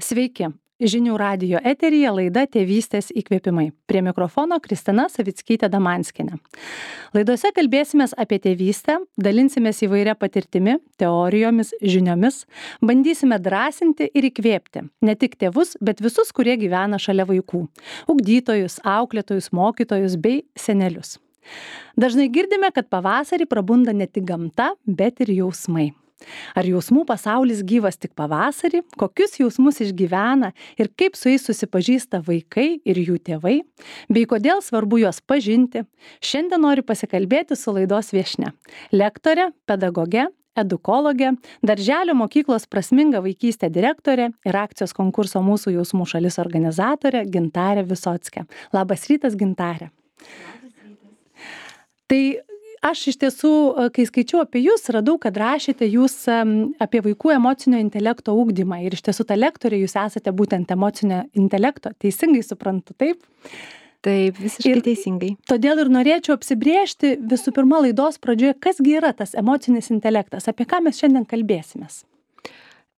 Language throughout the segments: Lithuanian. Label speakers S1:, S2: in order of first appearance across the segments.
S1: Sveiki. Žinių radijo eteryje laida Tėvystės įkvėpimai. Prie mikrofono Kristina Savickytė-Damanskienė. Laidose kalbėsimės apie tėvystę, dalinsimės įvairia patirtimi, teorijomis, žiniomis, bandysime drąsinti ir įkvėpti ne tik tėvus, bet visus, kurie gyvena šalia vaikų - ugdytojus, auklėtojus, mokytojus bei senelius. Dažnai girdime, kad pavasarį prabunda ne tik gamta, bet ir jausmai. Ar jausmų pasaulis gyvas tik pavasarį, kokius jausmus išgyvena ir kaip su jais susipažįsta vaikai ir jų tėvai, bei kodėl svarbu juos pažinti, šiandien noriu pasikalbėti su laidos viešnia, lektore, pedagoge, edukologė, darželio mokyklos Prasminga vaikystė direktorė ir akcijos konkurso Mūsų jausmų šalis organizatorė Gintarė Visockė. Labas rytas, Gintarė. Tai aš iš tiesų, kai skaičiau apie jūs, radau, kad rašėte jūs apie vaikų emocinio intelekto ugdymą. Ir iš tiesų ta lektorė, jūs esate būtent emocinio intelekto. Teisingai suprantu, taip?
S2: Taip, visiškai teisingai.
S1: Todėl ir norėčiau apsibrėžti visų pirma laidos pradžioje, kasgi yra tas emocinis intelektas, apie ką mes šiandien kalbėsimės.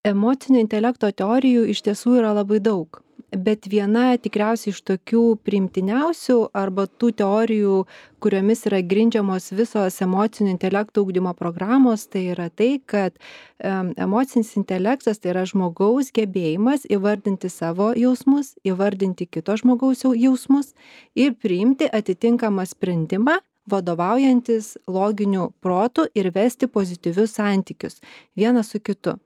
S2: Emocinio intelekto teorijų iš tiesų yra labai daug. Bet viena tikriausiai iš tokių priimtiniausių arba tų teorijų, kuriomis yra grindžiamos visos emocinio intelekto ugdymo programos, tai yra tai, kad emocinis intelektas tai yra žmogaus gebėjimas įvardinti savo jausmus, įvardinti kito žmogaus jausmus ir priimti atitinkamą sprendimą, vadovaujantis loginiu protu ir vesti pozityvius santykius vienas su kitu.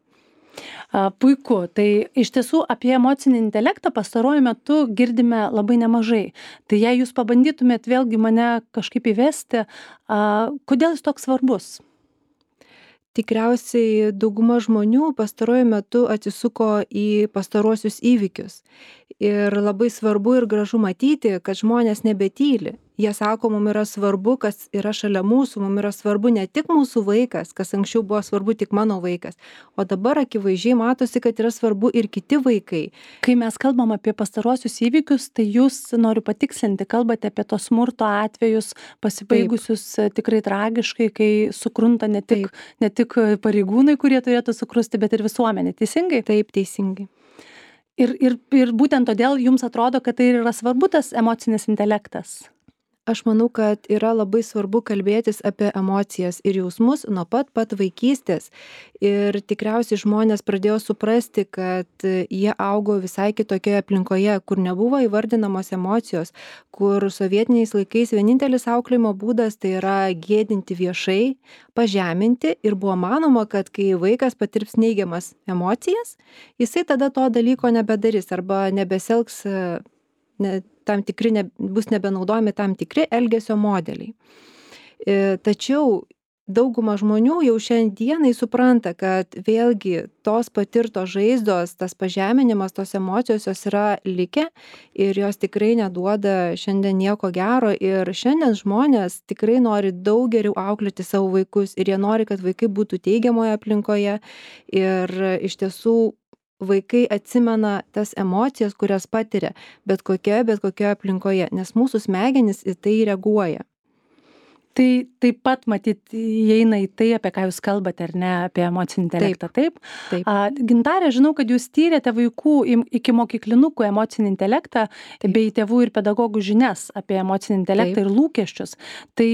S1: Puiku. Tai iš tiesų apie emocinį intelektą pastaruoju metu girdime labai nemažai. Tai jei jūs pabandytumėt vėlgi mane kažkaip įvesti, kodėl jis toks svarbus?
S2: Tikriausiai dauguma žmonių pastaruoju metu atsisuko į pastaruosius įvykius. Ir labai svarbu ir gražu matyti, kad žmonės nebetyli. Jie sako, mums yra svarbu, kas yra šalia mūsų, mums yra svarbu ne tik mūsų vaikas, kas anksčiau buvo svarbu tik mano vaikas, o dabar akivaizdžiai matosi, kad yra svarbu ir kiti vaikai.
S1: Kai mes kalbam apie pastaruosius įvykius, tai jūs, noriu patikslinti, kalbate apie tos smurto atvejus pasibaigusius tikrai tragiškai, kai sukrunta ne tik pareigūnai, kurie turėtų sukrusti, bet ir visuomenė. Teisingai?
S2: Taip, teisingai.
S1: Ir būtent todėl jums atrodo, kad tai yra svarbu tas emocinis intelektas?
S2: Aš manau, kad yra labai svarbu kalbėtis apie emocijas ir jausmus nuo pat vaikystės. Ir tikriausiai žmonės pradėjo suprasti, kad jie augo visai kitokioje aplinkoje, kur nebuvo įvardinamos emocijos, kur sovietiniais laikais vienintelis auklėjimo būdas tai yra gėdinti viešai, pažeminti ir buvo manoma, kad kai vaikas patirps neigiamas emocijas, jisai tada to dalyko nebedarys arba nebesielgs bus nebenaudojami tam tikri elgesio modeliai. Tačiau dauguma žmonių jau šiandienai supranta, kad vėlgi tos patirtos žaizdos, tas pažeminimas, tos emocijos jos yra likę ir jos tikrai neduoda šiandien nieko gero. Ir šiandien žmonės tikrai nori daug geriau auklėti savo vaikus ir jie nori, kad vaikai būtų teigiamoje aplinkoje. Ir iš tiesų vaikai atsimena tas emocijas, kurias patiria bet kokioje aplinkoje, nes mūsų smegenys į tai reaguoja.
S1: Tai taip pat matyt įeina į tai, apie ką jūs kalbate, ar ne, apie emocinį intelektą, taip?
S2: Taip.
S1: Gintarė, žinau, kad jūs tyrėte vaikų iki mokyklinukų emocinį intelektą bei tėvų ir pedagogų žinias apie emocinį intelektą ir lūkesčius. Tai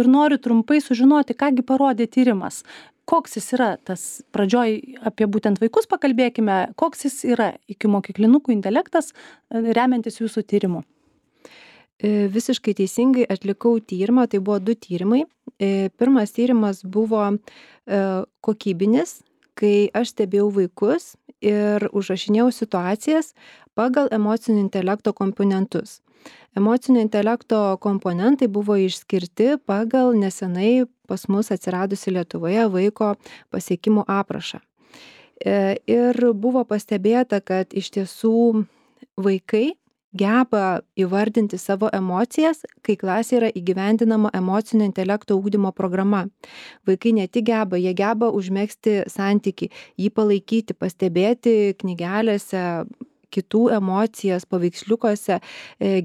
S1: ir noriu trumpai sužinoti, kągi parodė tyrimas. Koks jis yra tas pradžioj apie būtent vaikus pakalbėkime, koks jis yra iki mokyklinukų intelektas remiantis jūsų tyrimu?
S2: Visiškai teisingai atlikau tyrimą, tai buvo 2 tyrimai. Pirmas tyrimas buvo kokybinis, kai aš stebėjau vaikus ir užrašinėjau situacijas pagal emocinio intelekto komponentus. Emocinio intelekto komponentai buvo išskirti pagal nesenai pas mus atsiradusi Lietuvoje vaiko pasiekimų aprašą. Ir buvo pastebėta, kad iš tiesų vaikai geba įvardinti savo emocijas, kai klasėje yra įgyvendinama emocinio intelekto ugdymo programa. Vaikai ne tik geba, jie geba užmegzti santykį, jį palaikyti, pastebėti knygelėse kitų emocijas paveiksliukuose,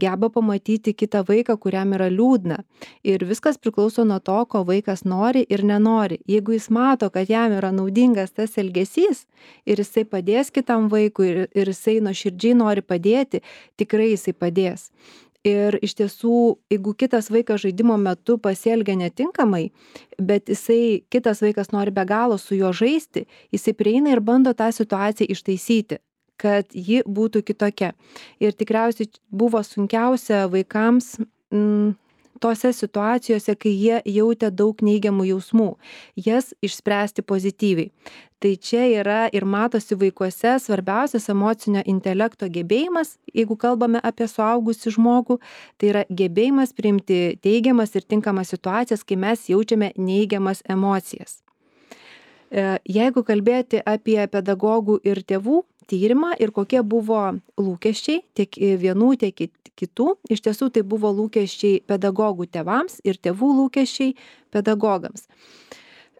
S2: geba pamatyti kitą vaiką, kuriam yra liūdna. Ir viskas priklauso nuo to, ko vaikas nori ir nenori. Jeigu jis mato, kad jam yra naudingas tas elgesys ir jisai padės kitam vaikui ir jisai nuoširdžiai nori padėti, tikrai jisai padės. Ir iš tiesų, jeigu kitas vaikas žaidimo metu pasielgia netinkamai, bet kitas vaikas nori be galo su juo žaisti, jisai prieina ir bando tą situaciją ištaisyti, kad ji būtų kitokia. Ir tikriausiai buvo sunkiausia vaikams tose situacijose, kai jie jautė daug neigiamų jausmų, jas išspręsti pozityviai. Tai čia yra ir matosi vaikuose svarbiausias emocinio intelekto gebėjimas, jeigu kalbame apie suaugusį žmogų, tai yra gebėjimas priimti teigiamas ir tinkamas situacijas, kai mes jaučiame neigiamas emocijas. Jeigu kalbėti apie pedagogų ir tėvų tyrimą ir kokie buvo lūkesčiai tiek vienų, tiek kitų, iš tiesų tai buvo lūkesčiai pedagogų tėvams ir tėvų lūkesčiai pedagogams.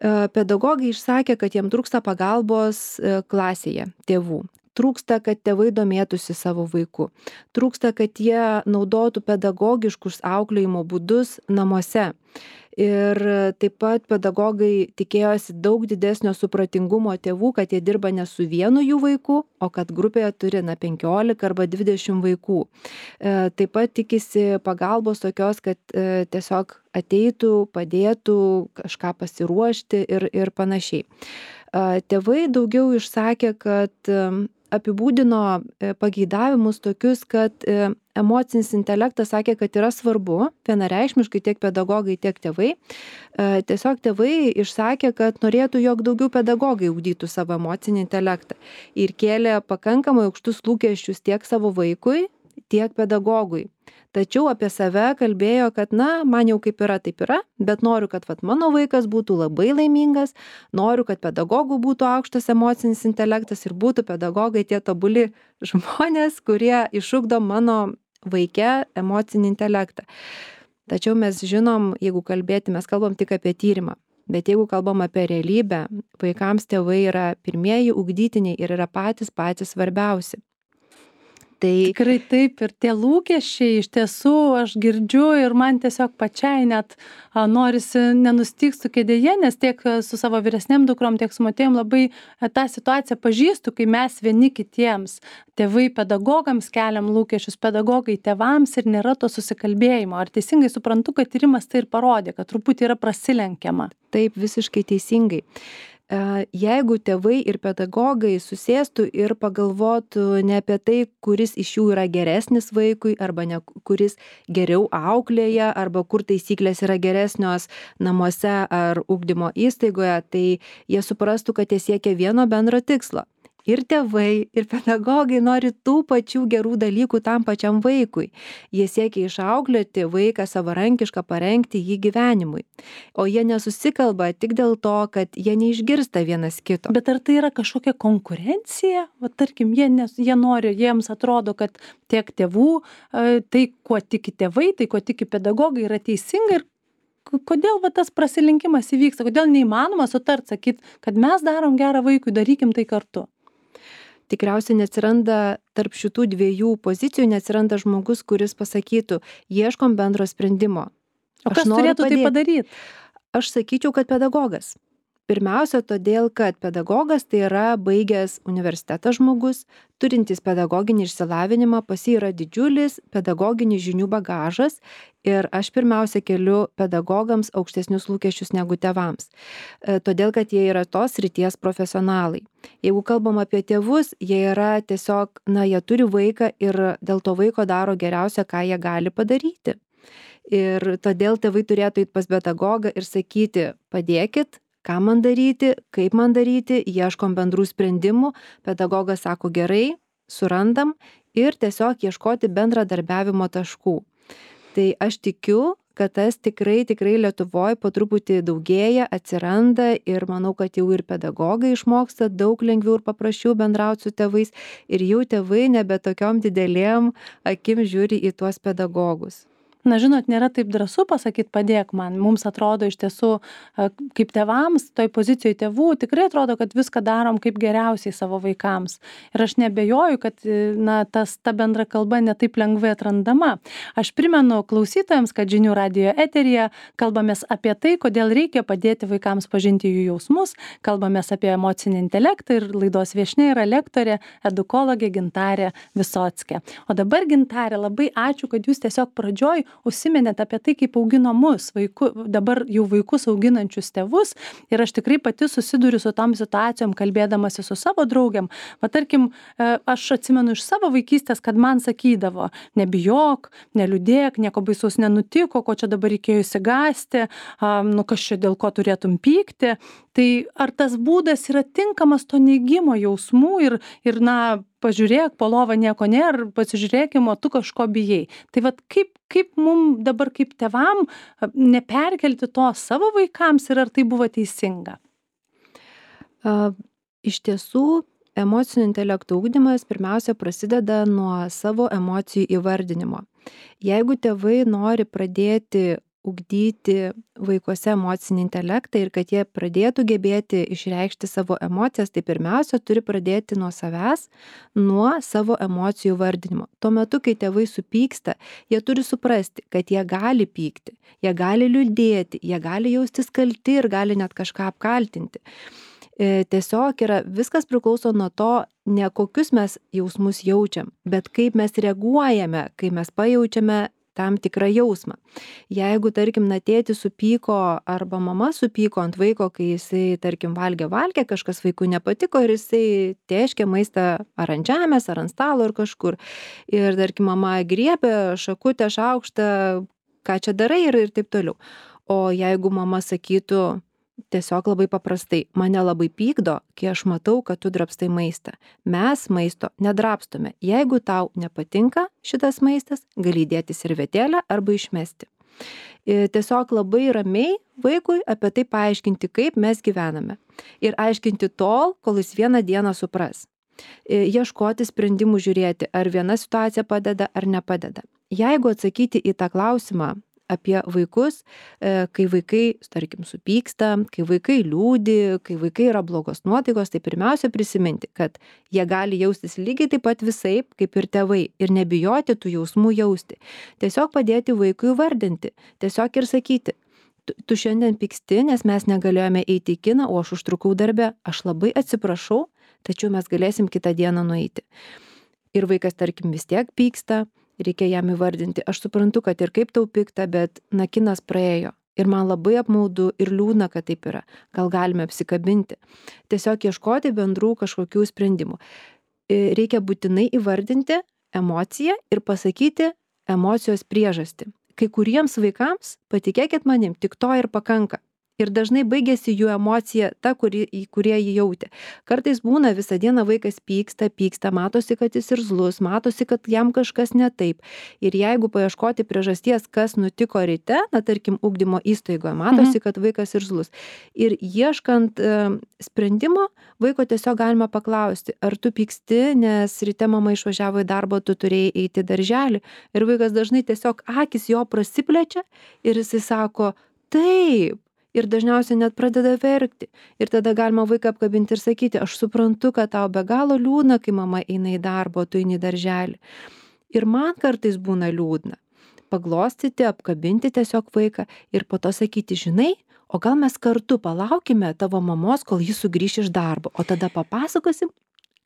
S2: Pedagogai išsakė, kad jiem trūksta pagalbos klasėje tėvų. Trūksta, kad tėvai domėtųsi savo vaiku. Trūksta, kad jie naudotų pedagogiškus auklėjimo būdus namuose. Ir taip pat pedagogai tikėjosi daug didesnio supratingumo tėvų, kad jie dirba ne su vienu jų vaiku, o kad grupėje turi 15 arba 20 vaikų. Taip pat tikisi pagalbos tokios, kad tiesiog ateitų, padėtų kažką pasiruošti ir panašiai. Tėvai daugiau išsakė, kad apibūdino pageidavimus tokius, kad emocinis intelektas sakė, kad yra svarbu, vienareikšmiškai tiek pedagogai, tiek tėvai. Tiesiog tėvai išsakė, kad norėtų, jog daugiau pedagogai ugdytų savo emocinį intelektą ir kėlė pakankamai aukštus lūkesčius tiek savo vaikui, tiek pedagogui. Tačiau apie save kalbėjo, kad man jau kaip yra, taip yra, bet noriu, kad mano vaikas būtų labai laimingas, noriu, kad pedagogų būtų aukštas emocinis intelektas ir būtų pedagogai tie tobuli žmonės, kurie išugdo mano vaike emocinį intelektą. Tačiau mes žinom, jeigu mes kalbam tik apie tyrimą, bet jeigu kalbam apie realybę, vaikams tėvai yra pirmieji ugdytiniai ir yra patys svarbiausi.
S1: Tikrai taip, ir tie lūkesčiai iš tiesų aš girdžiu ir man tiesiog pačiai net norisi nenustygstų kėdėje, nes tiek su savo vyresnėm dukrom, tiek su motiejom labai tą situaciją pažįstu, kai mes vieni kitiems, tėvai pedagogams keliam lūkesčius, pedagogai tėvams ir nėra to susikalbėjimo. Ar teisingai suprantu, kad tyrimas tai ir parodė, kad truputį yra prasilenkiama?
S2: Taip, visiškai teisingai. Jeigu tėvai ir pedagogai susėstų ir pagalvotų ne apie tai, kuris iš jų yra geresnis vaikui, arba ne kuris geriau auklėja, arba kur taisyklės yra geresnios namuose ar ugdymo įstaigoje, tai jie suprastų, kad jie siekia vieno bendro tikslo. Ir tėvai, ir pedagogai nori tų pačių gerų dalykų tam pačiam vaikui. Jie siekia išauklėti vaiką savarankišką, parengti jį gyvenimui. O jie nesusikalba tik dėl to, kad jie neišgirsta vienas kito.
S1: Bet ar tai yra kažkokia konkurencija? Tarkim, jie nori, jiems atrodo, kad tiek tėvų, tai kuo tiki tėvai, tai kuo tiki pedagogai yra teisinga ir kodėl tas prasilenkimas įvyksta? Kodėl neįmanoma sutart, sakyt, kad mes darom gerą vaikui, darykim tai kartu?
S2: Tikriausiai neatsiranda tarp šitų dviejų pozicijų, neatsiranda žmogus, kuris pasakytų, ieškom bendro sprendimo.
S1: O kas turėtų tai padaryti?
S2: Aš sakyčiau, kad pedagogas. Pirmiausia, todėl, kad pedagogas tai yra baigęs universitetą žmogus, turintis pedagoginį išsilavinimą, pas jį yra didžiulis pedagoginis žinių bagažas ir aš pirmiausia keliu pedagogams aukštesnius lūkesčius negu tėvams. Todėl, kad jie yra tos srities profesionalai. Jeigu kalbam apie tėvus, jie yra tiesiog, jie turi vaiką ir dėl to vaiko daro geriausia, ką jie gali padaryti. Ir todėl tėvai turėtų eiti pas pedagogą ir sakyti, padėkit, ką man daryti, kaip man daryti, ieškom bendrų sprendimų, pedagogas sako gerai, surandam ir tiesiog ieškoti bendradarbiavimo taškų. Tai aš tikiu, kad tas tikrai Lietuvoje po truputį daugėja, atsiranda ir manau, kad jau ir pedagogai išmoksta daug lengviau ir paprasčiau bendrauti su tėvais ir jau tėvai nebe tokiom didelėm akim žiūri į tuos pedagogus.
S1: Na, žinot, nėra taip drąsu pasakyti, padėk man. Mums atrodo iš tiesų, kaip tėvams, toj pozicijoje tėvų, tikrai atrodo, kad viską darom kaip geriausiai savo vaikams. Ir aš nebejoju, kad na, ta bendra kalba netaip lengvai atrandama. Aš primenu klausytojams, kad Žinių radijo eteryje kalbamės apie tai, kodėl reikia padėti vaikams pažinti jų jausmus, kalbamės apie emocinį intelektą ir laidos viešnia yra lektorė, edukologė Gintarė Visockė. O dabar, Gintarė, labai ačiū, kad jūs tiesiog pradžioj užsiminėt apie tai, kaip augino mus, dabar jau vaikus auginančius tėvus. Ir aš tikrai pati susiduriu su tom situacijom, kalbėdamasi su savo draugiam. Va, tarkim, aš atsimenu iš savo vaikystės, kad man sakydavo, nebijok, neliūdėk, nieko baisaus nenutiko, ko čia dabar reikėjo įsigąsti, nu kas čia dėl ko turėtum pykti. Tai ar tas būdas yra tinkamas to neigimo jausmų ir na, pažiūrėk, po lovą nieko nėra, pasižiūrėkim, o tu kažko bijai. Tai vat kaip mum dabar kaip tėvam neperkelti to savo vaikams ir ar tai buvo teisinga?
S2: Iš tiesų, emocinio intelekto ugdymas pirmiausia prasideda nuo savo emocijų įvardinimo. Jeigu tėvai nori pradėti ugdyti vaikuose emocinį intelektą ir kad jie pradėtų gebėti išreikšti savo emocijas, tai pirmiausia turi pradėti nuo savęs, nuo savo emocijų vardinimo. Tuo metu, kai tėvai supyksta, jie turi suprasti, kad jie gali pykti, jie gali liūdėti, jie gali jaustis kalti ir gali net kažką apkaltinti. Tiesiog viskas priklauso nuo to, ne kokius mes jausmus jaučiam, bet kaip mes reaguojame, kai mes pajaučiame tam tikrą jausmą. Jeigu, tarkim, tėtis supyko arba mama supyko ant vaiko, kai jisai, tarkim, valgė, kažkas vaikui nepatiko ir jisai tėškė maistą ar ant žemės, ar ant stalo, ar kažkur. Ir, tarkim, mama griebė šakutę, šaukštą, ką čia darai ir taip toliau. O jeigu mama sakytų tiesiog labai paprastai, mane labai pykdo, kai aš matau, kad tu drabstai maistą. Mes maisto nedrabstome. Jeigu tau nepatinka šitas maistas, gali įdėti servetėlę arba išmesti. Tiesiog labai ramiai vaikui apie tai paaiškinti, kaip mes gyvename. Ir aiškinti tol, kol jis vieną dieną supras. Ieškoti sprendimų, žiūrėti, ar viena situacija padeda ar nepadeda. Jeigu atsakyti į tą klausimą apie vaikus, kai vaikai, tarkim, supyksta, kai vaikai liūdi, kai vaikai yra blogos nuotaikos, tai pirmiausia prisiminti, kad jie gali jaustis lygiai taip pat visaip, kaip ir tėvai, ir nebijoti tų jausmų jausti. Tiesiog padėti vaikui vardinti, tiesiog ir sakyti, tu šiandien pyksti, nes mes negalėjome eiti į kiną, o aš užtrukau darbe, aš labai atsiprašau, tačiau mes galėsim kitą dieną nueiti. Ir vaikas, tarkim, vis tiek pyksta, reikia jam įvardinti. Aš suprantu, kad ir kaip tau pikta, bet kinas praėjo. Ir man labai apmaudu ir liūdna, kad taip yra. Gal galime apsikabinti. Tiesiog ieškoti bendrų kažkokių sprendimų. Reikia būtinai įvardinti emociją ir pasakyti emocijos priežastį. Kai kuriems vaikams, patikėkit manim, tik to ir pakanka. Ir dažnai baigėsi jų emocija ta, kurie jį jautė. Kartais būna visą dieną vaikas pyksta, matosi, kad jis irzlus, matosi, kad jam kažkas ne taip. Ir jeigu paieškoti priežasties, kas nutiko ryte, tarkim, ugdymo įstaigoje, matosi, kad vaikas irzlus. Ir ieškant sprendimo, vaiko tiesiog galima paklausti, ar tu pyksti, nes ryte mama išvažiavo į darbą, tu turėjai eiti į darželį. Ir vaikas dažnai tiesiog akis jo prasiplečia ir jisai sako, taip. Ir dažniausiai net pradeda verkti. Ir tada galima vaiką apkabinti ir sakyti, aš suprantu, kad tau be galo liūdna, kai mama eina į darbą, tu eini į darželį. Ir man kartais būna liūdna. Paglostyti, apkabinti tiesiog vaiką ir po to sakyti, žinai, o gal mes kartu palaukime tavo mamos, kol jis sugrįš iš darbo, o tada papasakosim,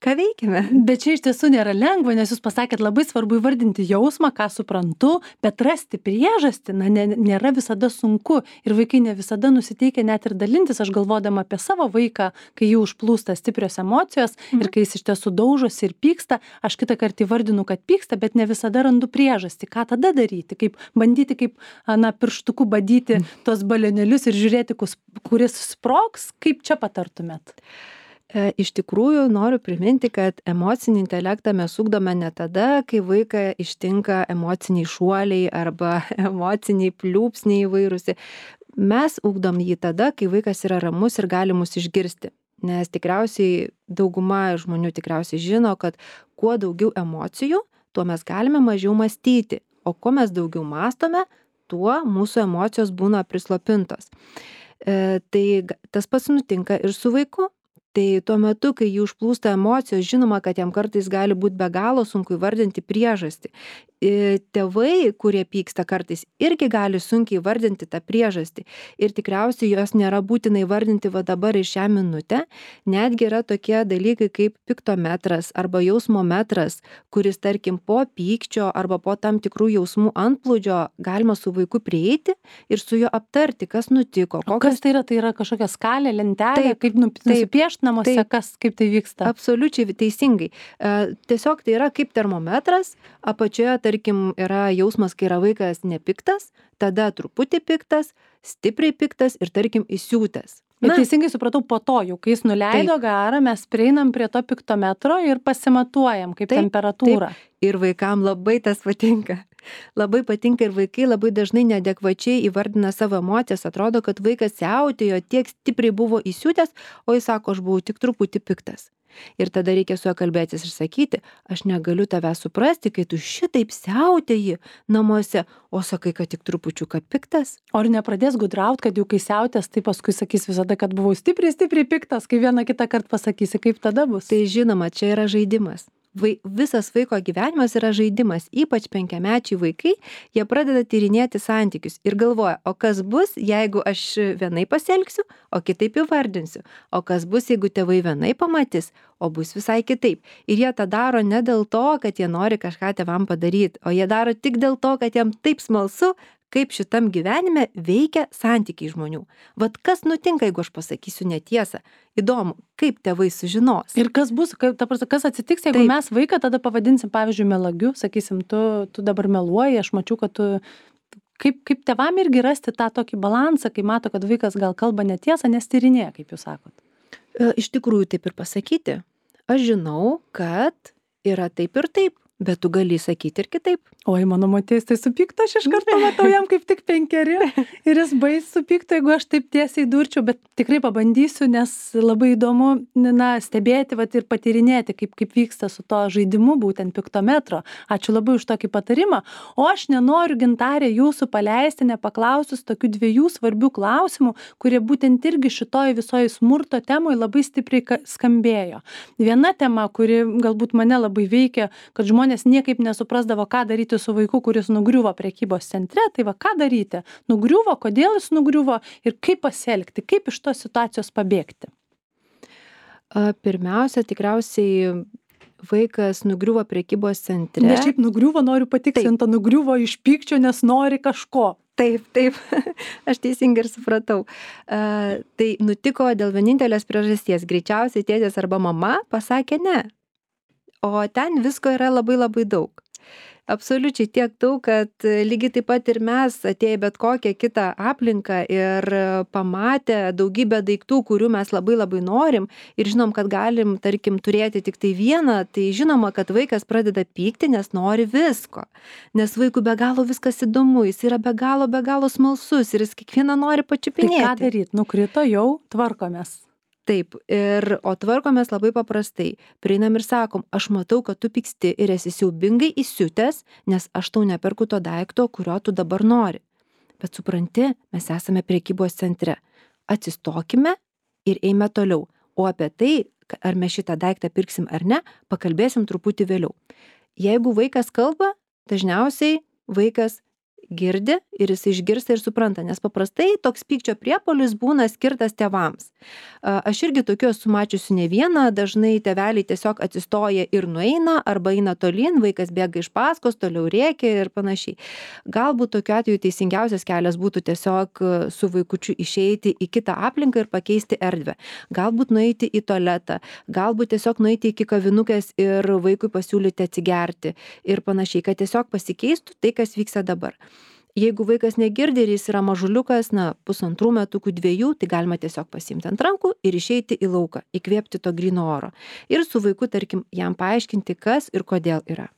S2: ką veikiame.
S1: Bet čia iš tiesų nėra lengva, nes jūs pasakėt, labai svarbu įvardinti jausmą, ką suprantu, bet rasti priežastį, nėra visada sunku ir vaikai ne visada nusiteikia net ir dalintis. Aš galvodama apie savo vaiką, kai jų užplūsta stiprios emocijos ir kai jis iš tiesų daužosi ir pyksta, aš kitą kartą įvardinu, kad pyksta, bet ne visada randu priežastį, ką tada daryti, kaip bandyti, kaip pirštuku badyti tos balionėlius ir žiūrėti, kuris sprogs, kaip čia patartumėt.
S2: Iš tikrųjų noriu priminti, kad emocinį intelektą mes ugdome ne tada, kai vaiką ištinka emociniai šuoliai arba emociniai pliūpsniai įvairūs. Mes ugdom jį tada, kai vaikas yra ramus ir gali mus išgirsti. Nes tikriausiai dauguma žmonių tikriausiai žino, kad kuo daugiau emocijų, tuo mes galime mažiau mąstyti. O kuo mes daugiau mąstome, tuo mūsų emocijos būna prislopintos. Tai tas pats nutinka ir su vaiku. Tai tuo metu, kai jį užplūsta emocijos, žinoma, kad jam kartais gali būti be galo sunku įvardinti priežastį. Tėvai, kurie pyksta kartais, irgi gali sunkiai įvardinti tą priežastį. Ir tikriausiai jos nėra būtina įvardinti va dabar ir šią minutę. Netgi yra tokie dalykai kaip piktometras arba jausmometras, kuris, tarkim, po pykčio arba po tam tikrų jausmų antplūdžio galima su vaiku prieiti ir su juo aptarti, kas nutiko.
S1: Kas tai yra? Tai yra kažkokia skalė, lentelė, kaip nusipiešti namuose, kaip tai vyksta?
S2: Absoliučiai teisingai. Tiesiog tai yra kaip termometras, apačioje, tarkim, yra jausmas, kai yra vaikas nepiktas, tada truputį piktas, stipriai piktas ir, tarkim, įsiūtęs.
S1: Bet teisingai supratau, po to, jau kai jis nuleido garą, mes prieinam prie to piktometro ir pasimatuojam kaip temperatūrą.
S2: Ir vaikam labai tas patinka. Labai patinka ir vaikai labai dažnai neadekvačiai įvardina savo emocijas. Atrodo, kad vaikas siautėjo, tiek stipriai buvo įsiutęs, o jis sako, aš buvau tik truputį piktas. Ir tada reikia su juo kalbėtis ir sakyti, aš negaliu tave suprasti, kai tu šitaip siautėji namuose, o sakai, kad tik trupučiuką piktas.
S1: O ar nepradės gudraut, kad jau kai siautės, tai paskui sakys visada, kad buvau stipriai piktas, kai vieną kitą kartą pasakysi, kaip tada bus?
S2: Tai žinoma, čia yra žaidimas. Visas vaiko gyvenimas yra žaidimas, ypač 5-mečiai vaikai, jie pradeda tyrinėti santykius ir galvoja, o kas bus, jeigu aš vienaip pasielgsiu, o kitaip įvardinsiu, o kas bus, jeigu tėvai vienaip pamatys, o bus visai kitaip. Ir jie tą daro ne dėl to, kad jie nori kažką tėvam padaryti, o jie daro tik dėl to, kad jiem taip smalsu, kaip šitam gyvenime veikia santykiai žmonių. Vat kas nutinka, jeigu aš pasakysiu netiesą? Įdomu, kaip tėvai sužinos.
S1: Ir kas bus, kas atsitiks, jeigu mes vaiką tada pavadinsim, pavyzdžiui, melagiu, sakysim, tu dabar meluoji, aš mačiau, kad tu... Kaip tėvam irgi rasti tą tokį balansą, kai mato, kad vaikas gal kalba netiesą, nes tyrinėja, kaip jūs sakot?
S2: Iš tikrųjų taip ir pasakyti. Aš žinau, kad yra taip ir taip. Bet tu gali sakyti ir kitaip.
S1: Oi, mano moteris tai supyktų, aš iš karto matau jam kaip tik 5 ir jis bais supyktų, jeigu aš taip tiesiai durčiau, bet tikrai pabandysiu, nes labai įdomu stebėti ir patyrinėti, kaip vyksta su to žaidimu, būtent piktometro. Ačiū labai už tokį patarimą. O aš nenoriu, Gintarė, jūsų paleisti, nepaklausus tokių 2 svarbių klausimų, kurie būtent irgi šitoj visoje smurto temoje labai stipriai skambėjo. Viena tema, kuri galbūt mane labai veikia, kad žmonės niekaip nesuprasdavo, ką daryti su vaiku, kuris nugriuvo prekybos centre, tai va, ką daryti? Nugriuvo, kodėl jis nugriuvo ir kaip pasielgti, kaip iš tos situacijos pabėgti?
S2: Pirmiausia, tikriausiai vaikas nugriuvo prekybos centre.
S1: Ne šiaip nugriuvo, noriu patikslinti, nugriuvo iš pykčio, nes nori kažko.
S2: Taip, aš teisingai ir supratau. Tai nutiko dėl vienintelės priežasties. Greičiausiai tėtis arba mama pasakė ne. O ten visko yra labai labai daug. Absoliučiai tiek daug, kad lygiai taip pat ir mes atėję bet kokią kitą aplinką ir pamatę daugybę daiktų, kurių mes labai labai norim ir žinom, kad galim, tarkim, turėti tik tai vieną, tai žinoma, kad vaikas pradeda pykti, nes nori visko. Nes vaikui be galo viskas įdomu, jis yra be galo smalsus ir jis kiekvieną nori pačiupinėti.
S1: Tai ką daryti? Nukrito jau, tvarkomės.
S2: Taip, o tvarkomės labai paprastai. Prieinam ir sakom, aš matau, kad tu pyksti ir esi siaubingai įsiutęs, nes aš tau neperku to daikto, kurio tu dabar nori. Bet supranti, mes esame prekybos centre. Atsistokime ir eime toliau. O apie tai, ar mes šitą daiktą pirksim ar ne, pakalbėsim truputį vėliau. Jeigu vaikas kalba, dažniausiai vaikas girdi ir jis išgirsta ir supranta, nes paprastai toks pykčio priepuolis būna skirtas tėvams. Aš irgi tokių esu mačiusi ne vieną, dažnai tėveliai tiesiog atsistoja ir nueina, arba eina tolyn, vaikas bėga iš paskos, toliau rėkia ir panašiai. Galbūt tokiu atveju teisingiausias kelias būtų tiesiog su vaikučiu išeiti į kitą aplinką ir pakeisti erdvę. Galbūt nueiti į tualetą, galbūt tiesiog nueiti iki kavinukės ir vaikui pasiūlyti atsigerti ir panašiai, kad tiesiog pasikeistų tai, kas vyksta dabar. Jeigu vaikas negirdi ir jis yra mažuliukas, 1,5 metukų, 2, tai galima tiesiog pasiimti ant rankų ir išeiti į lauką, įkvėpti to gryno oro. Ir su vaiku, tarkim, jam paaiškinti, kas ir kodėl yra.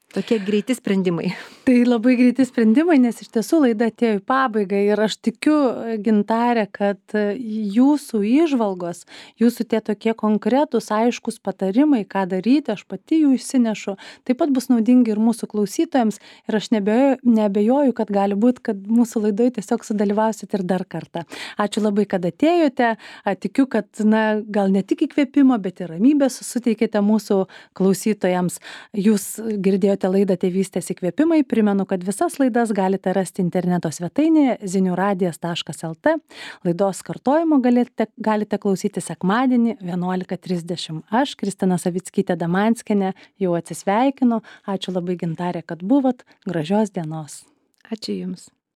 S2: Tokie greiti sprendimai.
S1: Tai labai greiti sprendimai, nes iš tiesų laida atėjo į pabaigą ir aš tikiu, Gintarė, kad jūsų įžvalgos, jūsų tie tokie konkretūs, aiškus patarimai, ką daryti, aš pati jų išsinešu, taip pat bus naudingi ir mūsų klausytojams ir aš neabejoju, kad gali būti, kad mūsų laidoje tiesiog sudalyvausit ir dar kartą. Ačiū labai, kad atėjote, tikiu, kad gal ne tik įkvėpimo, bet ir ramybės suteikėte mūsų klausytojams. Jūs girdėjote laidą Tėvystės įkvėpimai. Primenu, kad visas laidas galite rasti interneto svetainėje ziniuradijas.lt. Laidos kartojimo galite klausyti sekmadienį 11:30. Aš, Kristina Savickytė Damanskienė, jau atsisveikinu. Ačiū labai, Gintarė, kad buvot. Gražios dienos.
S2: Ačiū Jums.